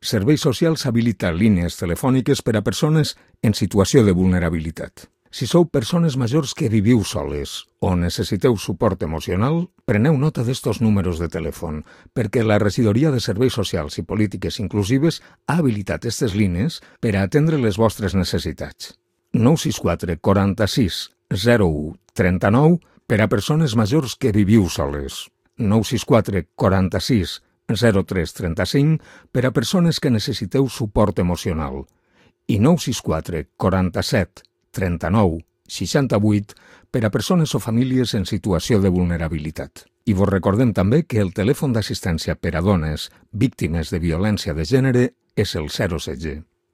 Serveis Socials habilita línies telefòniques per a persones en situació de vulnerabilitat. Si sou persones majors que viviu soles o necessiteu suport emocional, preneu nota d'estos números de telèfon, perquè la Regidoria de Serveis Socials i Polítiques Inclusives ha habilitat aquestes línies per a atendre les vostres necessitats. 964 46 01 39 per a persones majors que viviu soles. 964 46 03 35 per a persones que necessiteu suport emocional. I 964 47 39 68 per a persones o famílies en situació de vulnerabilitat. I vos recordem també que el telèfon d'assistència per a dones víctimes de violència de gènere és el 016.